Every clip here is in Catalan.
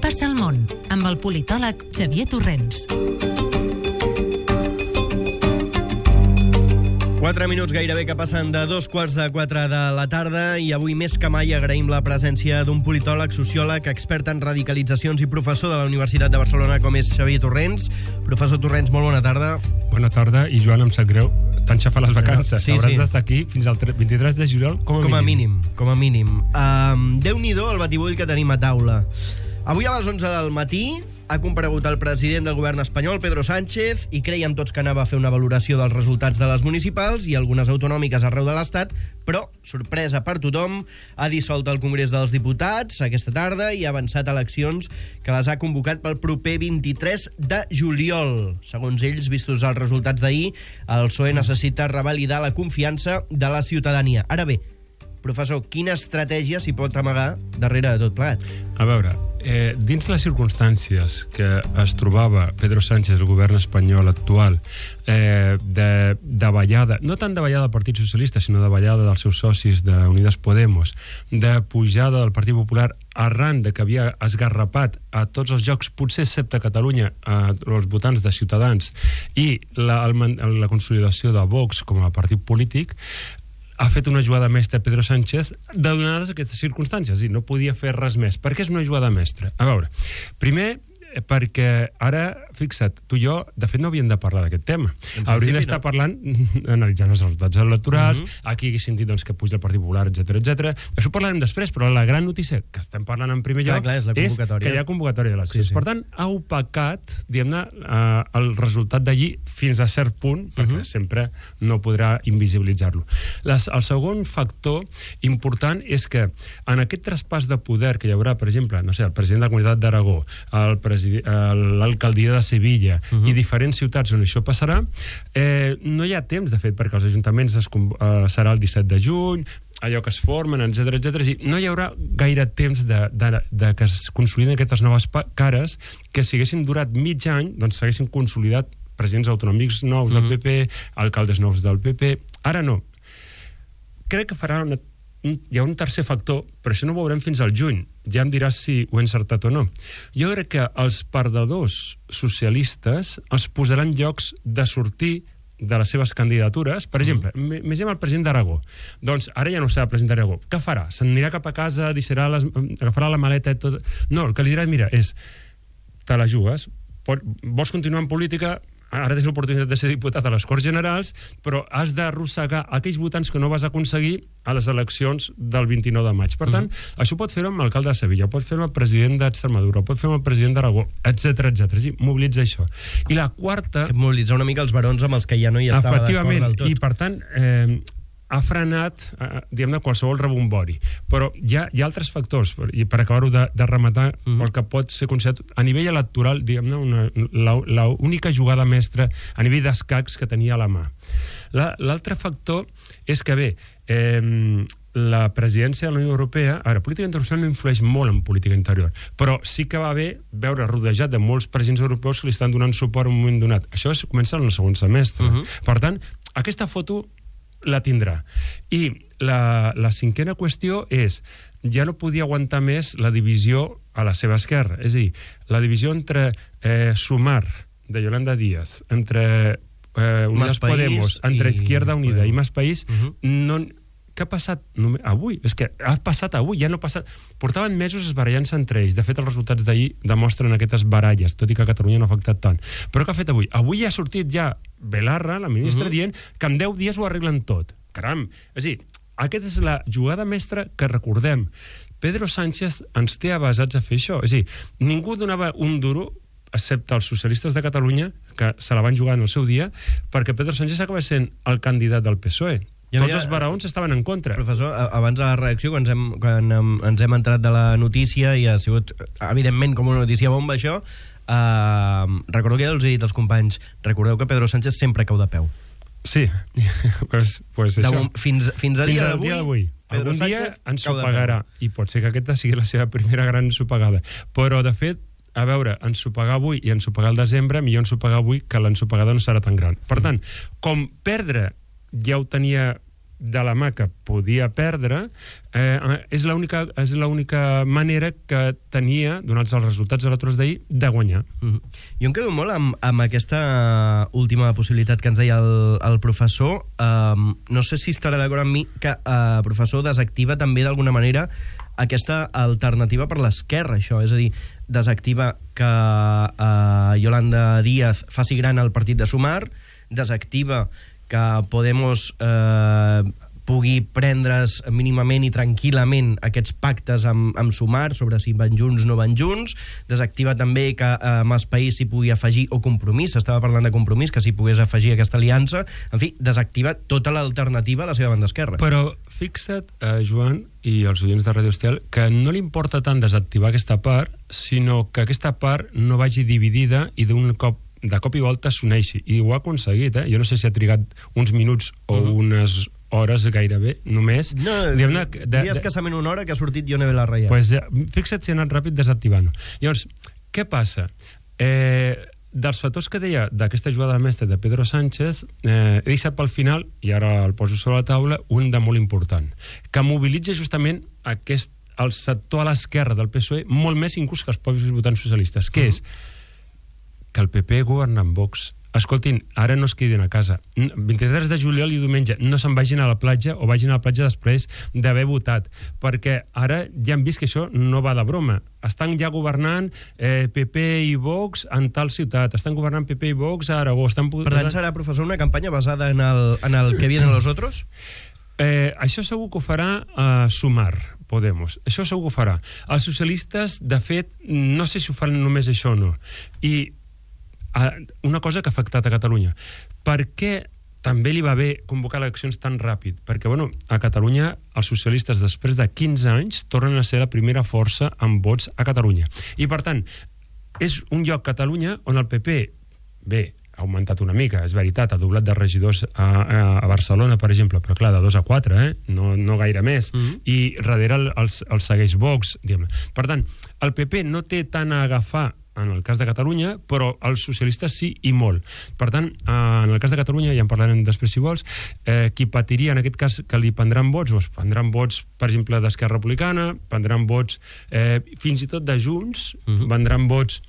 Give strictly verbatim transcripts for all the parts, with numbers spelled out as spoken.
apropar-se al món, amb el politòleg Xavier Torrents. Quatre minuts gairebé que passen de dos quarts de quatre de la tarda i avui més que mai agraïm la presència d'un politòleg, sociòleg, expert en radicalitzacions i professor de la Universitat de Barcelona com és Xavier Torrents. Professor Torrents, molt bona tarda. Bona tarda, i Joan, em sap greu, t'han xafat les vacances. Sí, Hauràs sí. d'estar aquí fins al vint-i-tres de juliol, com a com a mínim. mínim. Com a mínim. Um, Déu-n'hi-do el batibull que tenim a taula. Avui a les onze del matí ha comparegut el president del govern espanyol, Pedro Sánchez, i creiem tots que anava a fer una valoració dels resultats de les municipals i algunes autonòmiques arreu de l'Estat, però, sorpresa per tothom, ha dissolt el Congrés dels Diputats aquesta tarda i ha avançat eleccions que les ha convocat pel proper vint-i-tres de juliol. Segons ells, vistos els resultats d'ahir, el P S O E necessita revalidar la confiança de la ciutadania. Ara bé, professor, quina estratègia s'hi pot amagar darrere de tot plegat? A veure, eh, dins les circumstàncies que es trobava Pedro Sánchez, el govern espanyol actual, eh, de davallada, no tant davallada del Partit Socialista, sinó davallada dels seus socis d'Unides Podemos, de pujada del Partit Popular arran de que havia esgarrapat a tots els jocs, potser excepte a Catalunya, a els votants de Ciutadans, i la, el, la consolidació de Vox com a partit polític, ha fet una jugada mestra Pedro Sánchez donades aquestes circumstàncies, i no podia fer res més. Per què és una jugada mestra? A veure, primer, perquè ara, fixa't, tu i jo, de fet, no havíem de parlar d'aquest tema. Hauríem d'estar no. parlant, analitzant els resultats electorals, uh-huh. aquí haguéssim dit doncs, que puja el Partit Popular, etcètera, etcètera. Això ho parlarem després, però la gran notícia que estem parlant en primer lloc clar, clar, és, és que hi ha convocatòria d'eleccions. Sí, sí. Per tant, ha opacat, diguem-ne, eh, el resultat d'allí fins a cert punt, perquè uh-huh. sempre no podrà invisibilitzar-lo. Les, el segon factor important és que en aquest traspàs de poder que hi haurà, per exemple, no sé, el president de la Comunitat d'Aragó, el president l'alcaldia de Sevilla uh-huh. i diferents ciutats on això passarà, eh, no hi ha temps, de fet, perquè els ajuntaments es, eh, serà el disset de juny, allò que es formen, etcètera, etcètera, i no hi haurà gaire temps de, de, de que es consoliden aquestes noves cares que si haguessin durat mig any, doncs s'haguessin consolidat presidents autonòmics nous uh-huh. del P P, alcaldes nous del P P. Ara no. Crec que farà una hi ha un tercer factor, però això no ho veurem fins al juny. Ja em diràs si ho he encertat o no. Jo crec que els perdedors socialistes els posaran llocs de sortir de les seves candidatures. Per exemple, mm. imaginem el president d'Aragó. Doncs ara ja no serà president d'Aragó. Què farà? S'anirà cap a casa, deixarà les, agafarà la maleta i tot? No, el que li dirà, mira, és te la jugues, pot, vols continuar en política, ara tens l'oportunitat de ser diputat a les Corts Generals, però has d'arrossegar aquells votants que no vas aconseguir a les eleccions del vint-i-nou de maig. Per tant, uh-huh. això pot fer-ho amb l'alcalde de Sevilla, pot fer-ho amb el president d'Extremadura, pot fer-ho amb el president d'Aragó, etcètera, etcètera. Sí, mobilitza això. I la quarta... Mobilitzar una mica els barons amb els que ja no hi estava d'acord del tot. I per tant... Eh, ha frenat, eh, diguem-ne, qualsevol rebombori. Però hi ha, hi ha altres factors, i per acabar-ho de, de rematar, mm-hmm. el que pot ser considerat a nivell electoral, diguem-ne, l'única jugada mestra a nivell d'escacs que tenia a la mà. L'altre factor és que, bé, eh, la presidència de la Unió Europea, ara, política internacional no influeix molt en política interior, però sí que va bé veure rodejat de molts presidents europeus que li estan donant suport en un moment donat. Això es comença en el segon semestre. Mm-hmm. Per tant, aquesta foto la tindrà. I la, la cinquena qüestió és, ja no podia aguantar més la divisió a la seva esquerra. És a dir, la divisió entre eh, Sumar, de Yolanda Díaz, entre eh, Unidas Podemos, entre i... Izquierda Unida Podemos. I Más País, uh-huh. no... Què ha passat avui? És que ha passat avui, ja no ha passat... Portaven mesos esbarallant-se entre ells. De fet, els resultats d'ahir demostren aquestes baralles, tot i que a Catalunya no ha afectat tant. Però què ha fet avui? Avui ha sortit ja Belarra, la ministra, uh-huh. dient que en deu dies ho arreglen tot. Caram! És a dir, aquesta és la jugada mestra que recordem. Pedro Sánchez ens té avasats a fer això. És a dir, ningú donava un duro excepte els socialistes de Catalunya, que se la van jugar en el seu dia, perquè Pedro Sánchez acaba sent el candidat del P S O E. Ja Tots els baraons estaven en contra. Professor, abans de la reacció, quan ens hem, quan ens hem entrat de la notícia, i ha sigut, evidentment, com una notícia bomba, això, eh, recordo que ja els he dit als companys, recordeu que Pedro Sánchez sempre cau de peu. Sí, pues, pues això. De, fins, fins a fins dia d'avui, Pedro algun dia ens ho pagarà, i pot ser que aquesta sigui la seva primera gran ensopegada. Però, de fet, a veure, ensopegar avui i ensopegar al desembre, millor ensopegar avui que l'ensopegada no serà tan gran. Per tant, com perdre ja ho tenia de la mà que podia perdre, eh, és l'única és l'única manera que tenia, donats els resultats electorals d'ahir, de guanyar. Mm-hmm. Jo em quedo molt amb, amb aquesta última possibilitat que ens deia el, el professor. Um, no sé si estarà d'acord amb mi que el uh, professor desactiva també d'alguna manera aquesta alternativa per l'esquerra, això, és a dir, desactiva que uh, Yolanda Díaz faci gran el partit de Sumar, desactiva que Podemos eh, pugui prendre's mínimament i tranquil·lament aquests pactes amb, amb Sumar sobre si van junts o no van junts, desactiva també que eh, Mas País s'hi pugui afegir, o Compromís, s'estava parlant de Compromís, que s'hi pogués afegir aquesta aliança, en fi, desactiva tota l'alternativa a la seva banda esquerra. Però fixa't, eh, Joan, i els oients de Radio Estel, que no li importa tant desactivar aquesta part, sinó que aquesta part no vagi dividida i d'un cop de cop i volta s'uneixi, i ho ha aconseguit, eh? Jo no sé si ha trigat uns minuts o uh -huh. unes hores gairebé, només. No, diria escassament una hora que ha sortit Ione Belarra. Pues, eh, fixa't si ha anat ràpid desactivant-ho. Llavors, què passa? Eh, dels factors que deia d'aquesta jugada mestra de Pedro Sánchez, eh, he deixat pel final, i ara el poso sobre la taula, un de molt important, que mobilitza justament aquest, el sector a l'esquerra del P S O E, molt més inclús que els propis votants socialistes, que uh -huh. és que el P P governa amb Vox. Escoltin, ara no es quedin a casa. vint-i-tres de juliol i diumenge no se'n vagin a la platja o vagin a la platja després d'haver votat, perquè ara ja hem vist que això no va de broma. Estan ja governant eh, P P i Vox en tal ciutat, estan governant P P i Vox a Aragó. Estan... Per tant, serà, professor, una campanya basada en el, en el que vienen los otros? Eh, això segur que ho farà a Sumar, Podemos. Això segur que ho farà. Els socialistes, de fet, no sé si ho fan només això o no. I una cosa que ha afectat a Catalunya. Per què també li va bé convocar eleccions tan ràpid? Perquè, bueno, a Catalunya els socialistes, després de quinze anys, tornen a ser la primera força amb vots a Catalunya. I, per tant, és un lloc, Catalunya, on el P P, bé, ha augmentat una mica, és veritat, ha doblat de regidors a, a, a Barcelona, per exemple, però clar, de dos a quatre, eh? no, no gaire més, mm-hmm. i darrere el, el, el segueix Vox, diguem-ne. Per tant, el P P no té tant a agafar en el cas de Catalunya, però els socialistes sí i molt. Per tant, eh, en el cas de Catalunya, ja en parlarem després si vols, eh, qui patiria en aquest cas que li prendran vots, doncs prendran vots, per exemple, d'Esquerra Republicana, prendran vots eh, fins i tot de Junts, uh-huh. prendran vots,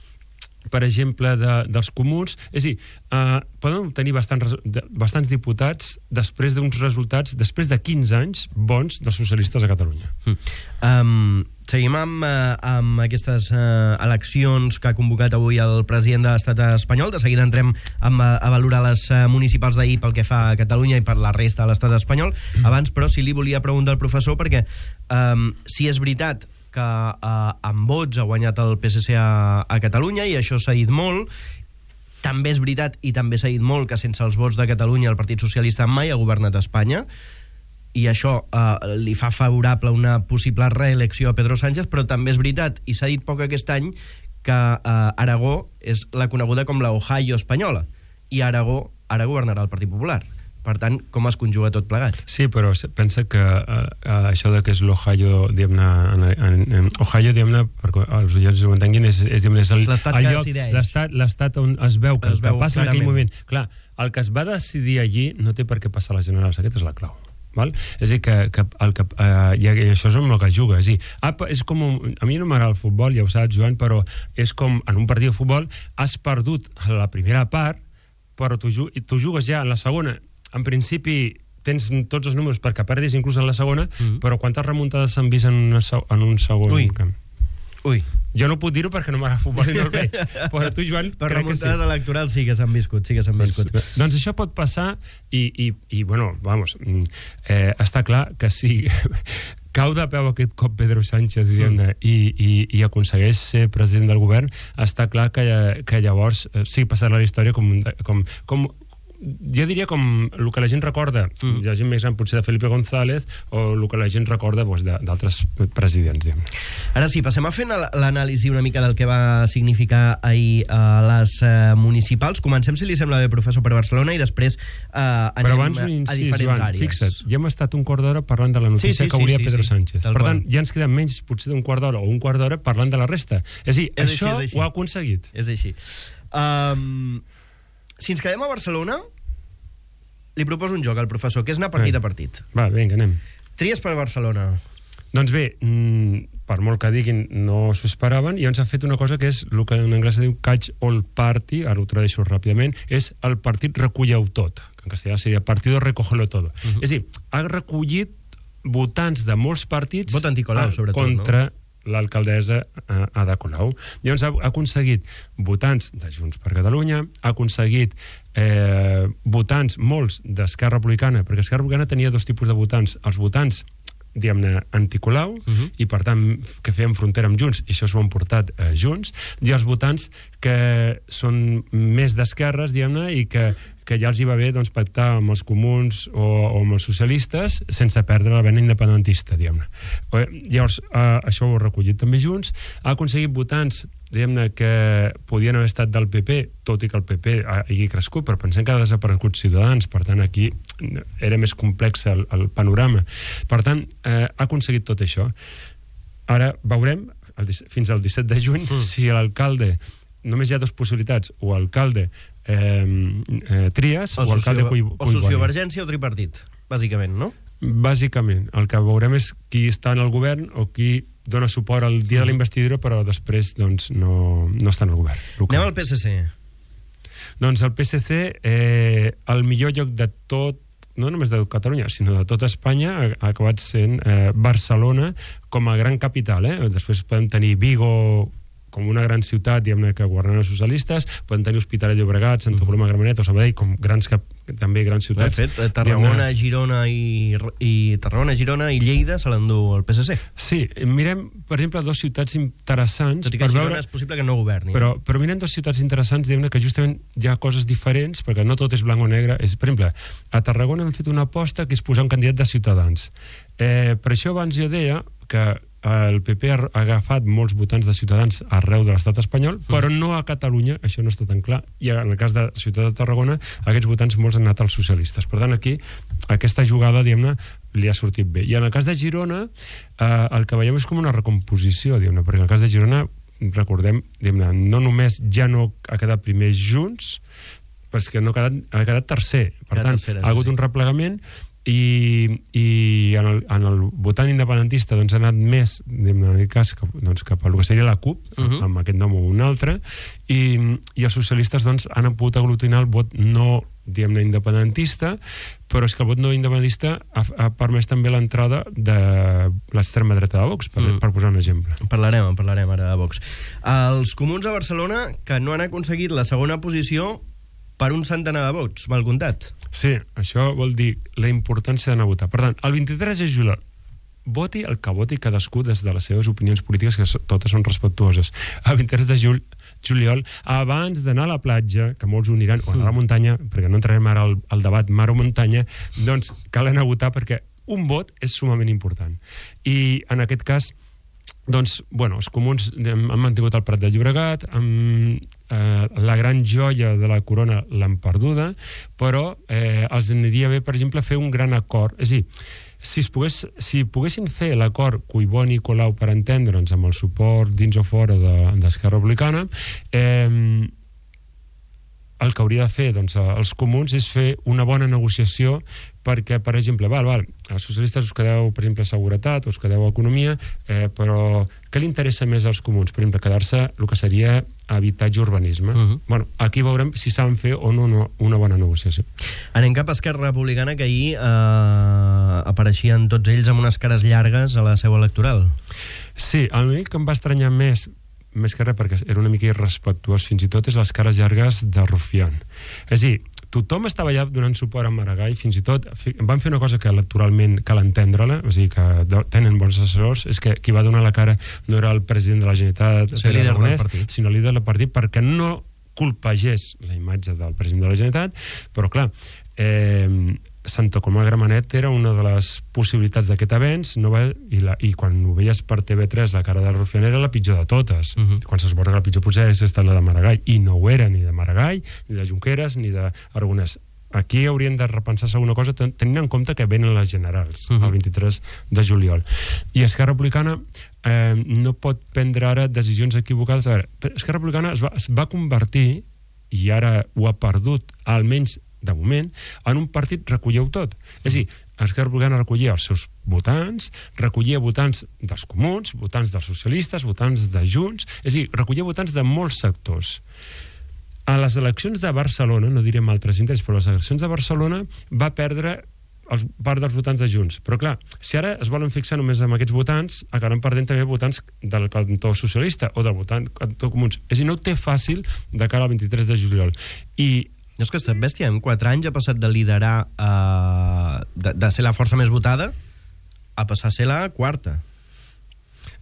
per exemple, de, dels comuns. És a dir, eh, poden obtenir bastants, bastants diputats després d'uns resultats, després de quinze anys bons dels socialistes a Catalunya. Mm. Um, seguim amb, uh, amb aquestes uh, eleccions que ha convocat avui el president de l'estat espanyol. De seguida entrem amb, a, a valorar les uh, municipals d'ahir pel que fa a Catalunya i per la resta de l'estat espanyol. Abans, però, sí li volia preguntar al professor, perquè um, si és veritat que eh, amb vots ha guanyat el P S C a, a Catalunya, i això s'ha dit molt, també és veritat i també s'ha dit molt que sense els vots de Catalunya el Partit Socialista mai ha governat a Espanya, i això eh, li fa favorable una possible reelecció a Pedro Sánchez, però també és veritat, i s'ha dit poc aquest any, que eh, Aragó és la coneguda com la Ohio espanyola, i Aragó ara governarà el Partit Popular. Per tant, com es conjuga tot plegat? Sí, però pensa que uh, uh, això de que és l'Ohio, diguem-ne, en, en, en Ohio, diguem-ne, perquè els oients ho entenguin, és, és, diguem-ne, és el, l'estat el que lloc, decideix. L'estat, l'estat on es veu que es el que veu passa clarament. en aquell moment... Clar, el que es va decidir allí no té per què passar a les generals, aquesta és la clau. Val? És a dir, que, que, el que uh, i això és amb el que juga. És a dir, apa, és com un, a mi no m'agrada el futbol, ja ho saps, Joan, però és com en un partit de futbol has perdut la primera part, però tu, tu jugues ja en la segona. En principi tens tots els números perquè perdis inclús en la segona, mm. però quantes remuntades s'han vist en, una, en un segon Ui. camp? Ui. Jo no puc dir-ho perquè no m'agrada futbol i no el veig, però tu, Joan, per crec que sí. Per remuntades electorals sí que s'han viscut, sí que s'han viscut. Doncs, doncs això pot passar i, i, i bueno, vamos, eh, està clar que si cau de peu aquest cop Pedro Sánchez mm. i, i, i aconsegueix ser president del govern, està clar que, que llavors eh, sí passarà la història com, com, com jo diria com el que la gent recorda, mm. la gent més gran potser de Felipe González, o el que la gent recorda doncs, d'altres presidents, diguem. Ara sí, passem a fer l'anàlisi una mica del que va significar ahir a uh, les uh, municipals. Comencem, si li sembla bé, professor, per Barcelona, i després uh, anem Però abans, a, incís, a diferents Joan, àrees. Fixa't, ja hem estat un quart d'hora parlant de la notícia sí, sí, que volia sí, sí, Pedro sí, Sánchez. Per tant, ja ens queda menys potser d'un quart d'hora o un quart d'hora parlant de la resta. És a dir, és això així, ho ha aconseguit. És així. Um, si ens quedem a Barcelona, li proposo un joc al professor, que és anar partit a partit. Va, vinga, anem. Tries per Barcelona. Doncs bé, per molt que diguin, no s'ho esperaven, i ens ha fet una cosa que és el que en anglès diu catch all party, ara ho tradueixo ràpidament, és el partit reculleu tot, que en castellà seria partido recógelo todo. Uh -huh. És a dir, ha recollit votants de molts partits Vot anticolau, sobretot, contra no? l'alcaldessa Ada Colau. Llavors ha, ha aconseguit votants de Junts per Catalunya, ha aconseguit eh, votants, molts, d'Esquerra Republicana, perquè Esquerra Republicana tenia dos tipus de votants, els votants diguem-ne, anticolau, uh -huh. i per tant que feien frontera amb Junts, i això s'ho han portat eh, Junts, i els votants que són més d'esquerres, diguem-ne, i que, que ja els hi va bé doncs, pactar amb els comuns o, o amb els socialistes sense perdre la vena independentista, diguem-ne. Llavors, eh, això ho ha recollit també Junts, ha aconseguit votants diguem-ne que podien haver estat del P P, tot i que el P P hagi crescut, però pensem que ha desaparegut Ciutadans, per tant aquí era més complex el, el panorama. Per tant, eh, ha aconseguit tot això. Ara veurem, el, fins al disset de juny, mm. si l'alcalde, només hi ha dues possibilitats, o alcalde eh, eh, Trias, o, o alcalde Collboni. O sociovergència o tripartit, bàsicament, no? Bàsicament, el que veurem és qui està en el govern o qui dona suport al dia de la investidura, però després doncs, no, no està en el govern local. Anem al P S C. Doncs el P S C, eh, el millor lloc de tot, no només de Catalunya, sinó de tota Espanya, ha, ha acabat sent eh, Barcelona com a gran capital. Eh? Després podem tenir Vigo com una gran ciutat, diguem-ne, que governen els socialistes, poden tenir Hospitalet de Llobregat, Santa Coloma de Gramenet o Sabadell, com grans cap, també grans ciutats. De fet, Tarragona, Girona i, i Tarragona, Girona i Lleida se l'endú el P S C. Sí, mirem, per exemple, dues ciutats interessants. Tot i que per Girona veure... és possible que no governi. Però, però mirem dues ciutats interessants, diguem-ne, que justament hi ha coses diferents, perquè no tot és blanc o negre. És, per exemple, a Tarragona han fet una aposta que és posar un candidat de Ciutadans. Eh, per això abans jo deia que el P P ha agafat molts votants de Ciutadans arreu de l'estat espanyol, però no a Catalunya, això no està tan clar, i en el cas de Ciutat de Tarragona aquests votants molts han anat als socialistes. Per tant, aquí aquesta jugada, diguem-ne, li ha sortit bé. I en el cas de Girona eh, el que veiem és com una recomposició, diguem-ne, perquè en el cas de Girona, recordem, diguem-ne, no només ja no ha quedat primer Junts, però és que no ha quedat, ha quedat tercer. Per tant, tercera, ha hagut sí. un replegament i, i en, el, en el votant independentista doncs, ha anat més en aquest cas cap, doncs, cap a el que seria la CUP, uh -huh. amb aquest nom o un altre, i, i els socialistes doncs, han pogut aglutinar el vot no diguem-ne independentista, però és que el vot no independentista ha, ha permès també l'entrada de l'extrema dreta de Vox, per, mm. per posar un exemple. Parlarem, parlarem ara de Vox. Els comuns a Barcelona que no han aconseguit la segona posició per un centenar de vots, mal comptat. Sí, això vol dir la importància d'anar a votar. Per tant, el vint-i-tres de juliol, voti el que voti cadascú des de les seves opinions polítiques, que totes són respectuoses. El vint-i-tres de juliol, juliol abans d'anar a la platja, que molts ho aniran, o anar a la muntanya, perquè no entrarem ara al, al debat mar o muntanya, doncs cal anar a votar perquè un vot és sumament important. I en aquest cas, doncs, bueno, els comuns han mantingut el Prat de Llobregat, amb, eh, la gran joia de la corona l'han perduda, però eh, els aniria bé, per exemple, fer un gran acord. És a dir, si, es pogués, si poguessin fer l'acord Collboni i Colau, per entendre'ns, amb el suport dins o fora d'Esquerra Republicana, eh, el que hauria de fer doncs, els comuns és fer una bona negociació perquè, per exemple, val, val, els socialistes us quedeu, per exemple, a seguretat, us quedeu a economia, eh, però què li interessa més als comuns? Per exemple, quedar-se el que seria habitatge urbanisme. Uh -huh. Bueno, aquí veurem si saben fer o no, no una bona negociació. Anem cap a Esquerra Republicana, que ahir eh, apareixien tots ells amb unes cares llargues a la seu electoral. Sí, el únic que em va estranyar més més que res perquè era una mica irrespectuós fins i tot és les cares llargues de Rufián. És a dir, tothom estava allà donant suport a Maragall, fins i tot van fer una cosa que electoralment cal entendre-la, o sigui que tenen bons assessors, és que qui va donar la cara no era el president de la Generalitat, sí, líder del partit, sinó el líder del partit, perquè no colpegés la imatge del president de la Generalitat, però clar, eh, Santa Coloma de Gramenet era una de les possibilitats d'aquest avenç, no va, i, la, i quan ho veies per T V tres la cara de Rufián era la pitjor de totes. Uh -huh. Quan s'esborra que la pitjor potser és estat la de Maragall, i no ho era ni de Maragall, ni de Junqueras, ni d'Aragonès. Aquí haurien de repensar-se alguna cosa tenint en compte que venen les generals, uh -huh. el vint-i-tres de juliol. I Esquerra Republicana eh, no pot prendre ara decisions equivocades. A veure, Esquerra Republicana es va, es va convertir, i ara ho ha perdut, almenys de moment, en un partit recolleu tot. És a dir, Esquerra Republicana recollia els seus votants, recollia votants dels comuns, votants dels socialistes, votants de Junts, és a dir, recollia votants de molts sectors. A les eleccions de Barcelona, no direm altres indrets, però a les eleccions de Barcelona va perdre els, part dels votants de Junts. Però clar, si ara es volen fixar només en aquests votants, acabaran perdent també votants del cantó socialista o del votant cantó comuns. És a dir, no ho té fàcil de cara al vint-i-tres de juliol. I no és que estat bèstia, en quatre anys ha passat de liderar, eh, de, de ser la força més votada, a passar a ser la quarta.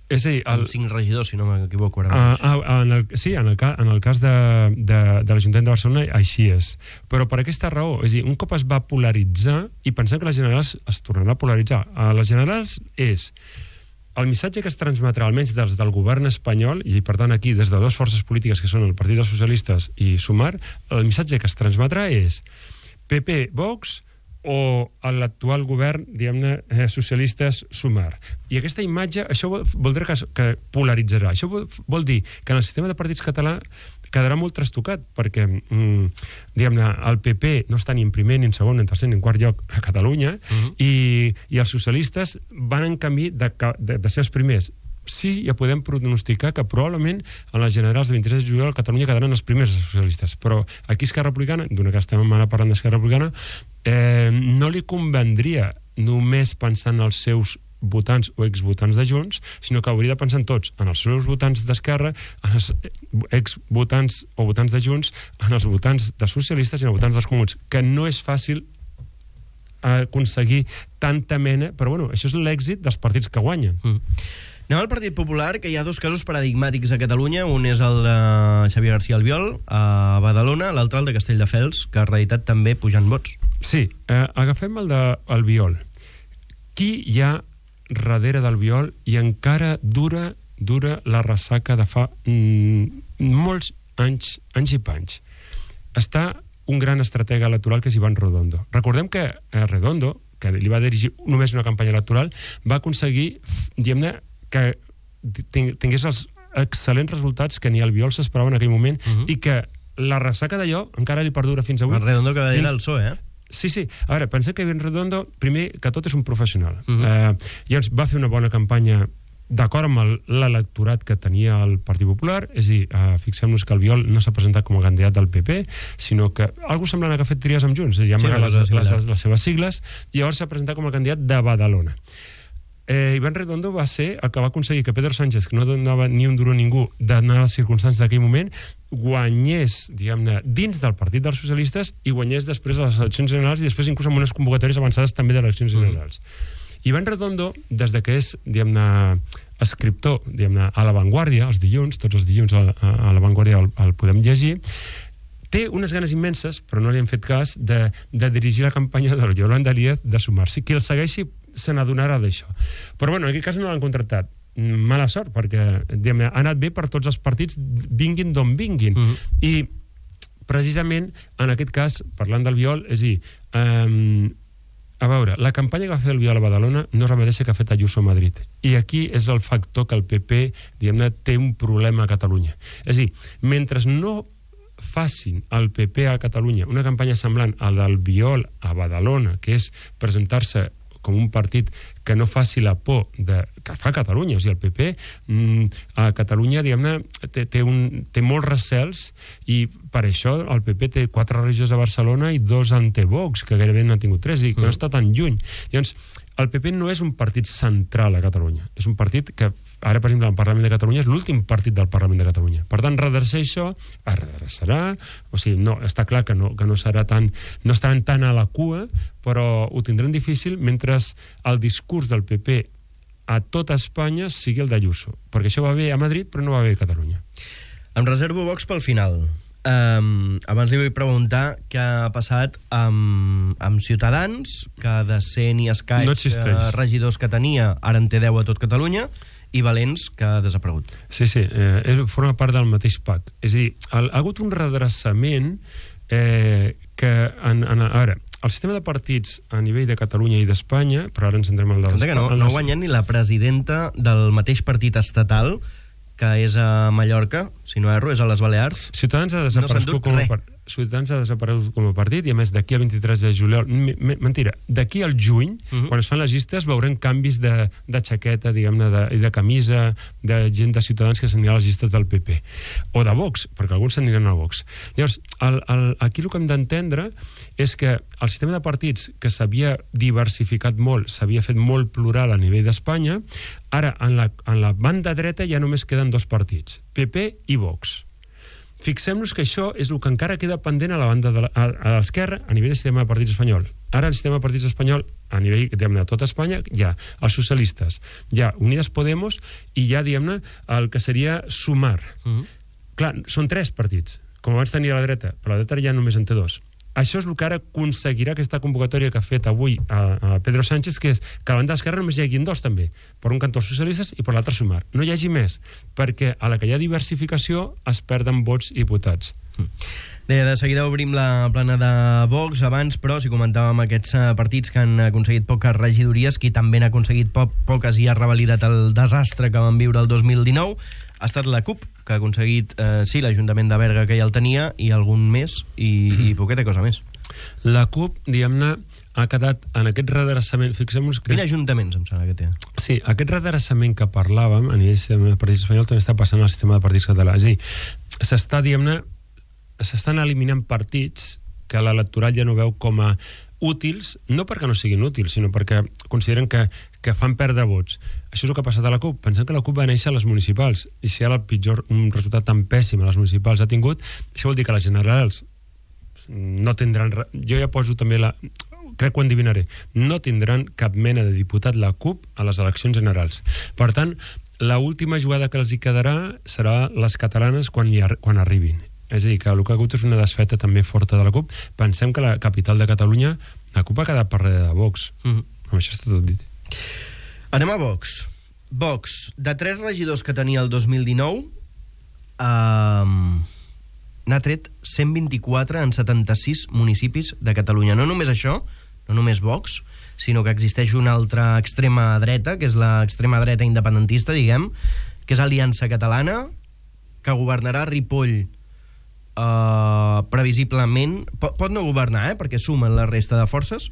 És a dir, el... amb cinc regidors, si no m'equivoco ara. Uh, uh, en el, sí, en el, ca, en el cas de, de, de l'Ajuntament de Barcelona així és. Però per aquesta raó, és a dir, un cop es va polaritzar, i pensem que les generals es tornarà a polaritzar, a les generals és el missatge que es transmetrà, almenys dels del govern espanyol, i per tant aquí des de dues forces polítiques que són el Partit dels Socialistes i Sumar, el missatge que es transmetrà és P P, Vox o l'actual govern, diguem-ne, eh, socialistes Sumar. I aquesta imatge, això vol, voldrà que, que polaritzarà. Això vol, vol dir que en el sistema de partits català quedarà molt trastocat, perquè mm, diguem-ne, el P P no està ni en primer, ni en segon, ni en tercer, ni en quart lloc a Catalunya, uh-huh. i, i els socialistes van en camí de, de, de ser els primers. Sí, ja podem pronosticar que probablement en les generals de vint-i-tres de juliol a Catalunya quedaran els primers els socialistes, però aquí Esquerra Republicana, d'una que estem ara parlant d'Esquerra Republicana, eh, no li convendria només pensar en els seus votants o exvotants de Junts, sinó que hauria de pensar en tots, en els seus votants d'Esquerra, en els exvotants o votants de Junts, en els votants de socialistes i en els votants dels comuns, que no és fàcil aconseguir tanta mena, però bueno, això és l'èxit dels partits que guanyen. Mm. Anem al Partit Popular, que hi ha dos casos paradigmàtics a Catalunya. Un és el de Xavier García Albiol, a Badalona, l'altre el de Castelldefels, que ha reeditat també pujant vots. Sí, eh, agafem el d'Albiol. Qui hi ha darrere d'Albiol i encara dura, dura la ressaca de fa mm, molts anys, anys i panys? Està un gran estratega electoral que és Iván Redondo. Recordem que eh, Redondo, que li va dirigir només una campanya electoral, va aconseguir, diguem-ne, que tingués els excel·lents resultats que ni Albiol s'esperava en aquell moment, uh-huh. i que la ressaca d'allò encara li perdura fins avui. El Redondo que va dir fins... el P S O E, eh? Sí, sí. A veure, pensem que Iván Redondo, primer que tot, és un professional. Uh-huh. eh, llavors va fer una bona campanya d'acord amb l'electorat que tenia el Partit Popular, és a dir, eh, fixem-nos que Albiol no s'ha presentat com a candidat del P P, sinó que algú semblant que ha fet tries amb Junts, ja sí, les, les, les, les seves sigles, i llavors s'ha presentat com a candidat de Badalona. Eh, Iván Redondo va ser el que va aconseguir que Pedro Sánchez, que no donava ni un duro a ningú d'anar a les circumstàncies d'aquell moment, guanyés, diguem-ne, dins del Partit dels Socialistes i guanyés després de les eleccions generals i després inclús amb unes convocatòries avançades també de eleccions generals. Mm. Iván Redondo, des de que és, diguem-ne, escriptor, diguem-ne, a La Vanguardia, els dilluns, tots els dilluns a, a, a La Vanguardia el, el podem llegir, té unes ganes immenses, però no li hem fet cas, de, de dirigir la campanya de Yolanda Díaz de Sumar-s'hi. Qui el segueixi se n'adonarà d'això. Però bueno, en aquest cas no l'han contractat. Mala sort, perquè diguem, ha anat bé per tots els partits, vinguin d'on vinguin. Mm-hmm. I precisament, en aquest cas, parlant d'Albiol, és a dir, um, a veure, la campanya que va fer Albiol a Badalona no és la mateixa que ha fet Ayuso a Madrid. I aquí és el factor que el P P, diguem-ne, té un problema a Catalunya. És a dir, mentre no facin al P P a Catalunya una campanya semblant a l'Albiol a Badalona, que és presentar-se com un partit que no faci la por de, que fa Catalunya, o sigui, el P P mm, a Catalunya, diguem-ne, té, té, un, té molts recels i per això el P P té quatre regidors a Barcelona i dos en té Vox, que gairebé n'han tingut tres i que mm. no està tan lluny. Llavors, el P P no és un partit central a Catalunya, és un partit que ara, per exemple, el Parlament de Catalunya és l'últim partit del Parlament de Catalunya. Per tant, redreçar això, es redreçarà, o sigui, no, està clar que no, que no serà tan, no estaran tan a la cua, però ho tindran difícil mentre el discurs del P P a tota Espanya sigui el d'Ayuso, perquè això va bé a Madrid però no va bé a Catalunya. Em reservo Vox pel final. Um, abans li vull preguntar què ha passat amb, amb Ciutadans, que de cent i escaig no uh, regidors que tenia, ara en té deu a tot Catalunya, i Valents, que ha desaparegut. Sí, sí, eh, és, forma part del mateix pack. És a dir, el, ha hagut un redreçament eh, que, en, en, a veure, el sistema de partits a nivell de Catalunya i d'Espanya, però ara ens entrem al de l'Espanya. No, no ha guanyat ni la presidenta del mateix partit estatal, que és a Mallorca, si no erro, és a les Balears. Ciutadans ha desaparegut, no com, a, Ciutadans ha desaparegut com a partit i, a més, d'aquí al vint-i-tres de juliol... Mentira, d'aquí al juny, uh -huh. quan es fan les llistes, veurem canvis de, de xaqueta, diguem-ne, de, i de camisa, de gent de Ciutadans que s'anirà a les llistes del P P. O de Vox, perquè alguns s'aniran a Vox. Llavors, el, el, aquí el que hem d'entendre és que el sistema de partits, que s'havia diversificat molt, s'havia fet molt plural a nivell d'Espanya, ara, en la, en la banda dreta ja només queden dos partits, P P i Vox. Fixem-nos que això és el que encara queda pendent a la banda de la, a, a l'esquerra a nivell del sistema de partits espanyol. Ara el sistema de partits espanyol, a nivell, diguem-ne, de tota Espanya, hi ha els socialistes, hi ha Unides Podemos i hi ha, diguem-ne, el que seria Sumar. Uh -huh. Clar, són tres partits, com abans tenia la dreta, però la dreta ja només en té dos. Això és el que ara aconseguirà aquesta convocatòria que ha fet avui a, a Pedro Sánchez, que és que a la banda d'esquerra només hi hagin dos, també. Per un cantó els socialistes i per l'altre Sumar. No hi hagi més, perquè a la que hi ha diversificació es perden vots i diputats. Mm. Bé, de seguida obrim la plana de Vox. Abans, però, si comentàvem aquests partits que han aconseguit poques regidories, qui també n'ha aconseguit po poques i ha revalidat el desastre que van viure el dos mil dinou, ha estat la CUP, que ha aconseguit, eh, sí, l'Ajuntament de Berga, que ja el tenia, i algun més, i, i poqueta cosa més. La CUP, diguem-ne, ha quedat en aquest redreçament... Fixem-nos que... Quin ajuntaments, em sembla que té? Sí, aquest redreçament que parlàvem a nivell de partits espanyol també està passant al sistema de partits català. És a dir, s'està, diguem-ne, s'estan eliminant partits que l'electorat ja no veu com a útils, no perquè no siguin útils, sinó perquè consideren que, que fan perdre vots. Això és el que ha passat a la CUP. Pensem que la CUP va néixer a les municipals, i si ara el pitjor, un resultat tan pèssim a les municipals ha tingut, això vol dir que les generals no tindran... Jo ja poso també la... crec que ho endivinaré. No tindran cap mena de diputat la CUP a les eleccions generals. Per tant, l'última jugada que els hi quedarà serà les catalanes quan, hi ar quan arribin. És a dir, que el que ha hagut és una desfeta també forta de la CUP. Pensem que la capital de Catalunya, la CUP ha quedat per darrere de Vox. Mm-hmm. Amb això està tot dit. Anem a Vox. Vox, de tres regidors que tenia el dos mil dinou, eh, n'ha tret cent vint-i-quatre en setanta-sis municipis de Catalunya. No només això, no només Vox, sinó que existeix una altra extrema dreta, que és l'extrema dreta independentista, diguem, que és Aliança Catalana, que governarà Ripoll Uh, previsiblement pot, pot no governar, eh, perquè sumen la resta de forces,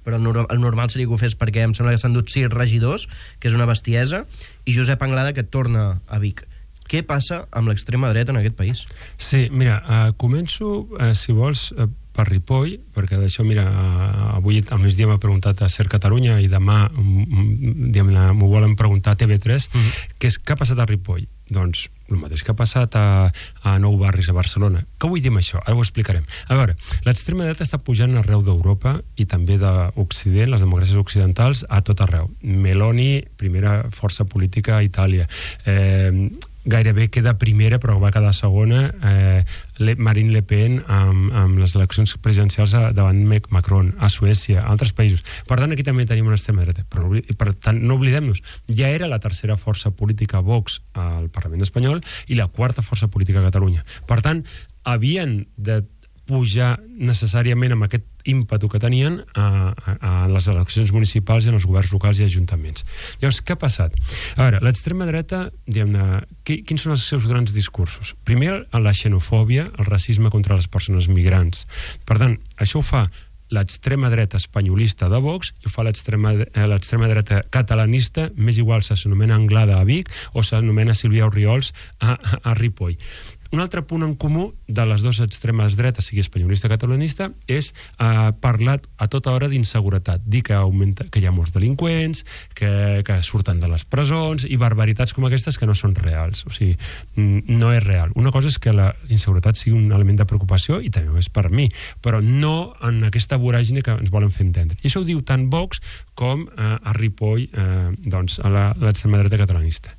però el, nor el normal seria que ho fes, perquè em sembla que s'han dut sis regidors, que és una bestiesa, i Josep Anglada, que torna a Vic. Què passa amb l'extrema dreta en aquest país? Sí, mira, uh, començo, uh, si vols, uh, per Ripoll, perquè d'això, mira, uh, avui al migdia m'ha preguntat a Ser Catalunya i demà m'ho volen preguntar a T V tres, uh -huh. que és què ha passat a Ripoll? Doncs el mateix que ha passat a, a nou barris a Barcelona. Què vull dir amb això? Ara ho explicarem. A veure, l'extrema dreta està pujant arreu d'Europa i també d'Occident, les democràcies occidentals, a tot arreu. Meloni, primera força política a Itàlia. Eh, gairebé queda primera, però va quedar segona, eh, Le, Marine Le Pen amb, amb les eleccions presidencials a, davant Macron, a Suècia, a altres països. Per tant, aquí també tenim una extrema dreta. Però, per tant, no oblidem-nos, ja era la tercera força política Vox al Parlament espanyol i la quarta força política a Catalunya. Per tant, havien de pujar necessàriament amb aquest ímpetu que tenien a, a, a les eleccions municipals i en els governs locals i ajuntaments. Llavors, què ha passat? A veure, l'extrema dreta, diguem-ne, quins són els seus grans discursos? Primer, la xenofòbia, el racisme contra les persones migrants. Per tant, això ho fa l'extrema dreta espanyolista de Vox i ho fa l'extrema dreta catalanista, més igual si s'anomena Anglada a Vic o s'anomena Sílvia Orriols a, a, a Ripoll. Un altre punt en comú de les dues extremes dretes, sigui espanyolista o catalanista, és eh, parlar a tota hora d'inseguretat, dir que, augmenta, que hi ha molts delinqüents, que, que surten de les presons i barbaritats com aquestes que no són reals. O sigui, no és real. Una cosa és que la inseguretat sigui un element de preocupació, i també ho és per mi, però no en aquesta voràgine que ens volen fer entendre. I això ho diu tant Vox com eh, a Ripoll, eh, doncs, a l'extrema dreta catalanista.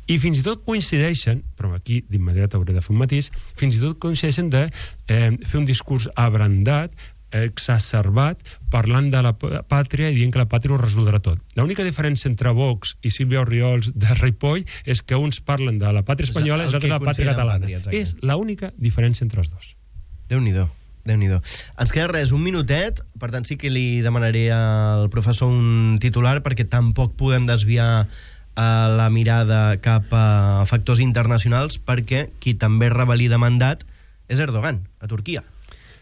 I fins i tot coincideixen, però aquí d'immediat hauré de fer un matís, fins i tot coincideixen de eh, fer un discurs abrandat, exacerbat, parlant de la pàtria i dient que la pàtria ho resoldrà tot. L'única diferència entre Vox i Sílvia Orriols de Ripoll és que uns parlen de la pàtria espanyola i els altres de la pàtria catalana. Pàtria, és l'única diferència entre els dos. Déu-n'hi-do. Déu-n'hi-do. Ens queda res, un minutet, per tant sí que li demanaré al professor un titular perquè tampoc podem desviar a la mirada cap a factors internacionals, perquè qui també revalida mandat és Erdogan, a Turquia.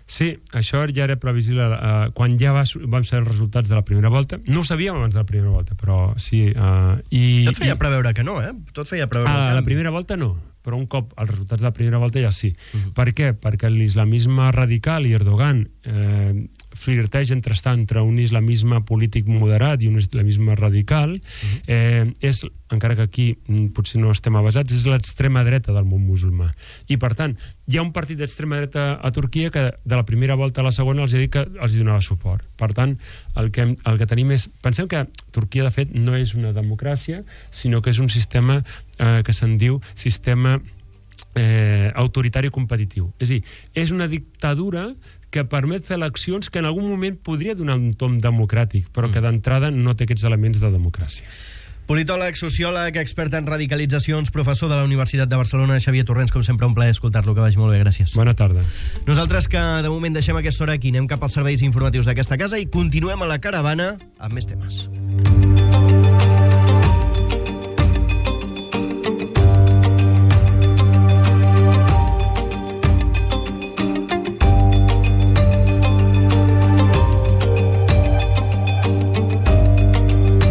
Sí, això ja era previsible uh, quan ja va, vam ser els resultats de la primera volta. No ho sabíem abans de la primera volta, però sí. Uh, i, Tot feia i... preveure que no, eh? Tot feia preveure ah, que la primera volta no, però un cop els resultats de la primera volta ja sí. Uh-huh. Per què? Perquè l'islamisme radical i Erdogan eh, flirteja entre estar entre un islamisme polític moderat i un islamisme radical, uh-huh. eh, és, encara que aquí potser no estem avasats, és l'extrema dreta del món musulmà. I, per tant, hi ha un partit d'extrema dreta a Turquia que de la primera volta a la segona els ha dit que els hi donava suport. Per tant, el que, el que tenim és... Pensem que Turquia, de fet, no és una democràcia, sinó que és un sistema eh, que se'n diu sistema eh, autoritari competitiu. És a dir, és una dictadura que permet fer eleccions que en algun moment podria donar un tom democràtic, però que d'entrada no té aquests elements de democràcia. Politòleg, sociòleg, expert en radicalitzacions, professor de la Universitat de Barcelona, Xavier Torrents, com sempre, un plaer escoltar-lo, que vagi molt bé, gràcies. Bona tarda. Nosaltres, que de moment deixem aquesta hora aquí, anem cap als serveis informatius d'aquesta casa i continuem a la caravana amb més temes.